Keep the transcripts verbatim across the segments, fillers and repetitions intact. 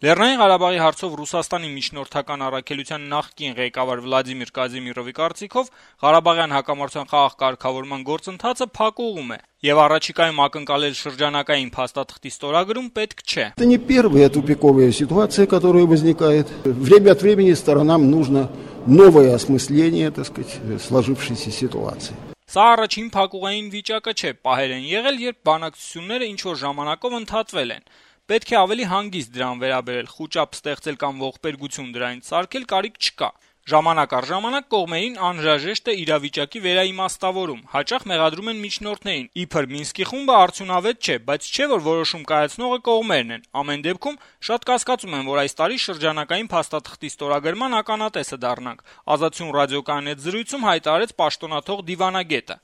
Լեռնային Ղարաբաղի հարցով Ռուսաստանի միջնորդական առաքելության նախկին ղեկավար Վլադիմիր Կազիմիրովի կարծիքով Ղարաբաղյան հակամարտության խաղաղ կարգավորման գործընթացը փակուղում է եւ առաջիկայում ակնկալել շրջանակային փաստաթղթի ստորագրում պետք չէ. Это не первая тупиковая ситуация, которая возникает. Время от времени сторонам нужно новое осмысление, так сказать, сложившейся ситуации. Սա առաջին փակուղային վիճակը չէ, պահեր են եղել, երբ բանակցությունները ինչ-որ ժամանակով ընդհատվել են. Պետք է ավելի հանգիստ դրան վերաբերել, խուճապ ստեղծել կամ ողբերգություն դրանից սարքել կարիք չկա. Ժամանակ առ ժամանակ կողմերին անհրաժեշտ է իրավիճակի վերաիմաստավորում, հաճախ մեղադրում են միջնորդներին, իբր Մինսկի խումբը արդյունավետ չէ, բայց չէ որ որոշում կայացնողը կողմերն են, ամեն դեպքում շատ կասկածում են, որ այս տարի շրջանակային փաստաթղթի ստորագրման ականատեսը դառնանք, Ազատություն ռադիոկայանի հետ զրույցում հայտարարեց պաշտոնաթող դիվանագետը.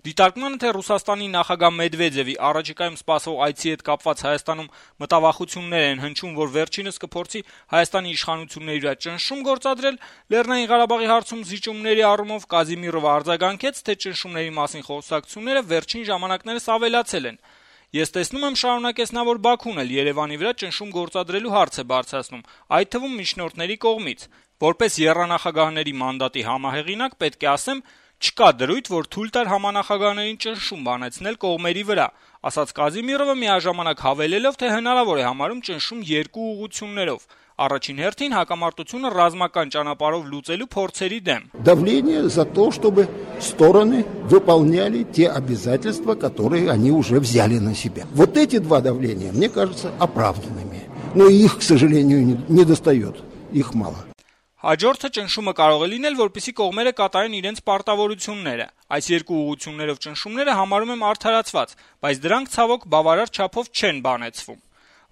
Դիտարկմանը, թե Ռուսաստանի նախագահ Մեդվեդևի առաջիկայում սպասող այցի հետ կապված Հայաստանում մտավախություններ են հնչում, որ վերջինս կփորձի Հայաստանի իշխանությունների վրա ճնշում գործադրել, Լեռնային Ղարաբաղի հարցում զիջումների առումով Կազիմիրովը արձագանքեց, թե ճնշումների մասին խոսակցությունները վերջին ժամանակներս ավելացել են. Ես տեսնում եմ, շարունակեց նա, որ Բաքուն էլ Երևանի վրա ճնշում գործադրելու հարց է բարձրացնում, այդ թվում միջնորդների կողմից. Որպես եռանախագահների մանդատի համահեղինակ պետք է ասեմ, չկա դրույթ, որ թույլ տար համանախագահներին ճնշում բանեցնել կողմերի վրա, ասաց Կազիմիրովը միաժամանակ հավելելով, թե հնարավոր է համարում ճնշում երկու ուղղություններով. Առաջին հերթին հակամարտությունը ռազմական ճանապարհով լուծելու փորձերի դեմ. Давление за то, чтобы стороны выполняли те обязательства, которые они уже взяли на себя. Вот эти два давления, мне кажется, оправданными. Но их, к сожалению, не достает. Их мало. Հաջորդը ճնշումը կարող է լինել, որպեսզի կողմերը կատարեն իրենց պարտավորությունները. Այս երկու ուղղություններով ճնշումները համարում եմ արդարացված, բայց դրանք ցավոք բավարար չափով չեն բանեցվում.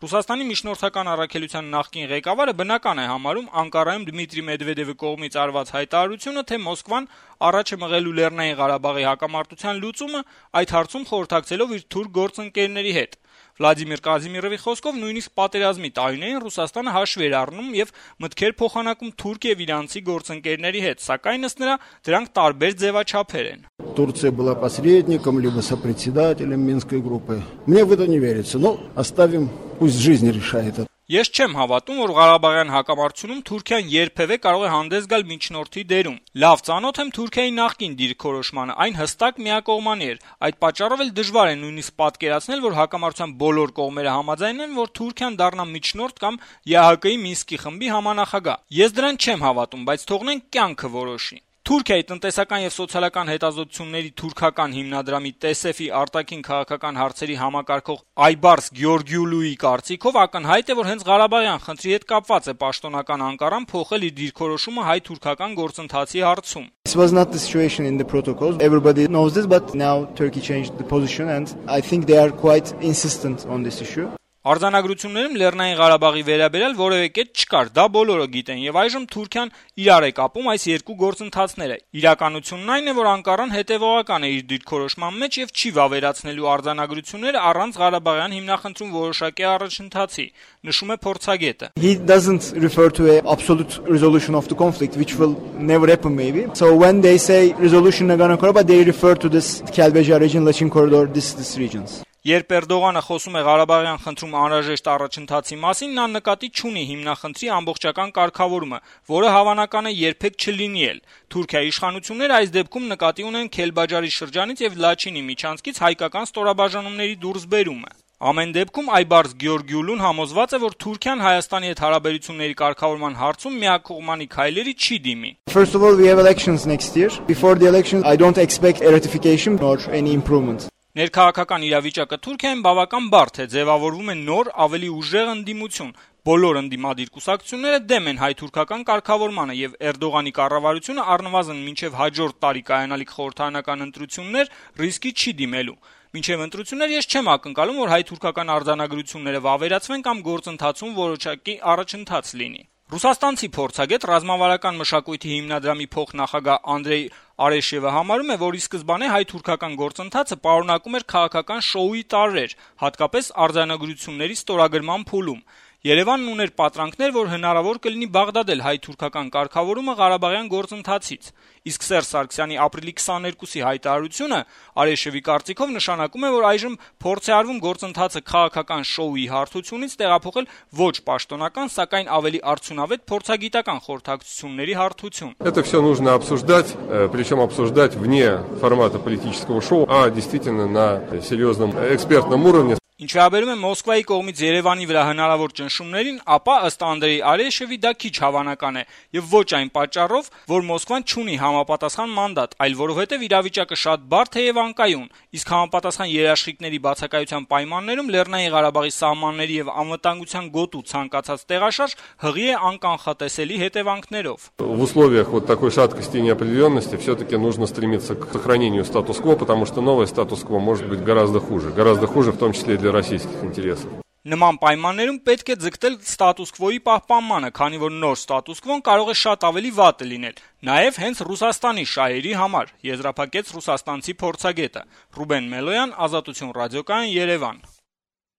Ռուսաստանի միջնորդական առաքելության նախկին ղեկավարը բնական է համարում Անկարայում Դմիտրի Մեդվեդևի կողմից արված հայտարարությունը, թե Մոսկվան առաջ է մղելու Լեռնային Ղարաբաղի հակամարտության լուծումը, այդ հարցում խորհրդակցելով իր թուրք գործընկերների հետ. Վլադիմիր Կազիմիրովի խոսքով նույնիսկ պատերազմի տարիներին Ռուսաստանը հաշվի էր առնում եւ մտքեր փոխանակում թուրք եւ իրանցի գործընկերների հետ, սակայն ըստ նրա դրանք տարբեր ձևաչափեր են. Турция была посредником, либо сопредседателем Минской группы. Мне в это не верится, но оставим, пусть жизнь решает это. Ես չեմ հավատում, որ Ղարաբաղյան հակամարտությունում Թուրքիան երբևէ կարող է հանդես գալ միջնորդի դերում։ Լավ ծանոթ եմ Թուրքիայի նախկին դիրքորոշմանը, այն հստակ միակողմանի էր։ Այդ պատճառով էլ դժվար է նույնիսկ պատկերացնել, որ հակամարտության բոլոր կողմերը համաձայն են, որ Թուրքիան դառնա միջնորդ կամ ԵԱՀԿ-ի Մինսկի խմբի համանախագահ։ Ես դրան չեմ հավատում, բայց թողնենք կյանքը որոշի։ Թուրքիայի տնտեսական եւ սոցիալական հետազոտությունների թուրքական հիմնադրամի ՏԵՍԵՖ-ի արտաքին քաղաքական հարցերի համակարգող Այբարս Գյորգիուլուի կարծիքով ակնհայտ է, որ հենց Ղարաբաղյան խնդրի հետ կապված է պաշտոնական Անկարան փոխել իր դիրքորոշումը հայ-թուրքական գործընթացի հարցում. This was not the situation in the protocols. Everybody knows this, but now Turkey changed the position and I think they are quite insistent on this issue. Արձանագրություններում Լեռնային Ղարաբաղի վերաբերյալ որևէ կետ չկար, դա բոլորը գիտեն, եւ այժմ Թուրքիան իրար է կապում այս երկու գործընթացները։ Իրականությունն այն է, որ Անկարան հետեւողական է իր դիրքորոշման մեջ եւ չի վավերացնելու արձանագրությունները առանց Ղարաբաղյան հիմնախնդրում որոշակի առաջընթացի, նշում է փորձագետը. He doesn't refer to an absolute resolution of the conflict, which will never happen maybe. So when they say resolution Nagorno-Karabakh, they refer to this Kelbejar region, Lachin corridor, this these regions. Երբ Էրդողանը խոսում է Ղարաբաղյան խնդրում անհրաժեշտ առաջընթացի մասին, նա նկատի չունի հիմնախնդրի ամբողջական կարգավորումը, որը հավանական է երբեք չլինի էլ։ Թուրքիայի իշխանությունները այս դեպքում նկատի ունեն Քելբաջարի շրջանից եւ Լաչինի միջանցքից հայկական ստորաբաժանումների դուրսբերումը։ Ամեն դեպքում Այբարս Գյորգիուլուն համոզված է, որ Թուրքիան Հայաստանի հետ հարաբերությունների կարգավորման հարցում միակողմանի քայլերի չի դիմի։ First of all, we have elections next year. Before the elections, I don't expect a ratification or any improvement. Ներքաղաքական իրավիճակը Թուրքիայում բավական բարդ է, ձևավորվում է նոր, ավելի ուժեղ ընդդիմություն։ Բոլոր ընդդիմադիր կուսակցությունները դեմ են հայ-թուրքական կարգավորմանը եւ Էրդողանի կառավարությունը առնվազն մինչեւ հաջորդ տարի կայանալիք խորհրդարանական ընտրություններ ռիսկի չի դիմելու։ Մինչեւ ընտրություններ ես չեմ ակնկալում, որ հայ-թուրքական արձանագրությունները վավերացվեն կամ գործընթացում որոշակի առաջընթաց լինի։ Ռուսաստանցի փորձագետ ռազմավարական մշակույթի հիմնադրամի փոխնախագահ Անդրեյ Արեշևը համարում է, որ ի սկզբանե հայ-թուրքական գործընթացը պարունակում էր քաղաքական շոուի տարրեր, հատկապես արձանագրությունների ստորագրման փուլում։ Երևանն ուներ պատրանքներ, որ հնարավոր կլինի բաղդադել հայ-թուրքական կարգավորումը Ղարաբաղյան գործընթացից, իսկ Սերժ Սարգսյանի ապրիլի քսաներկուսի հայտարարությունը Արեշևի կարծիքով նշանակում է, որ այժմ փորձ է արվում գործընթացը քաղաքական շոուի հարթությունից տեղափոխել ոչ պաշտոնական, սակայն ավելի արդյունավետ փորձագիտական խորհրդակցությունների հարթություն։ Это все нужно обсуждать, причем обсуждать вне формата политического шоу, а действительно на серьезном экспертном уровне. Ինչ վերաբերում է Մոսկվայի կողմից Երևանի վրա հնարավոր ճնշումներին, ապա ըստ Անդրեյ Արեշևի դա քիչ հավանական է, եւ ոչ այն պատճառով, որ Մոսկվան չունի համապատասխան մանդատ, այլ որովհետեւ իրավիճակը շատ բարդ է եւ անկայուն, իսկ համապատասխան երաշխիքների բացակայության պայմաններում Լեռնային Ղարաբաղի սահմանների եւ անվտանգության գոտու ցանկացած տեղաշարժ հղի է անկանխատեսելի հետևանքներով։ В условиях вот такой шаткости и неопределенности все-таки нужно стремиться к сохранению статус-кво, потому что новое статус-кво может быть гораздо хуже, гораздо хуже в том числе и для российских интересов. Նման պայմաններում պետք է ձգտել ստատուս քվոյի պահպանմանը, քանի որ նոր ստատուս քվոն կարող է շատ ավելի վատը լինել, նաև հենց Ռուսաստանի շահերի համար, եզրափակեց ռուսաստանցի փորձագետը։ Ռուբեն Մելոյան, Ազատություն ռադիոկայան, Երևան։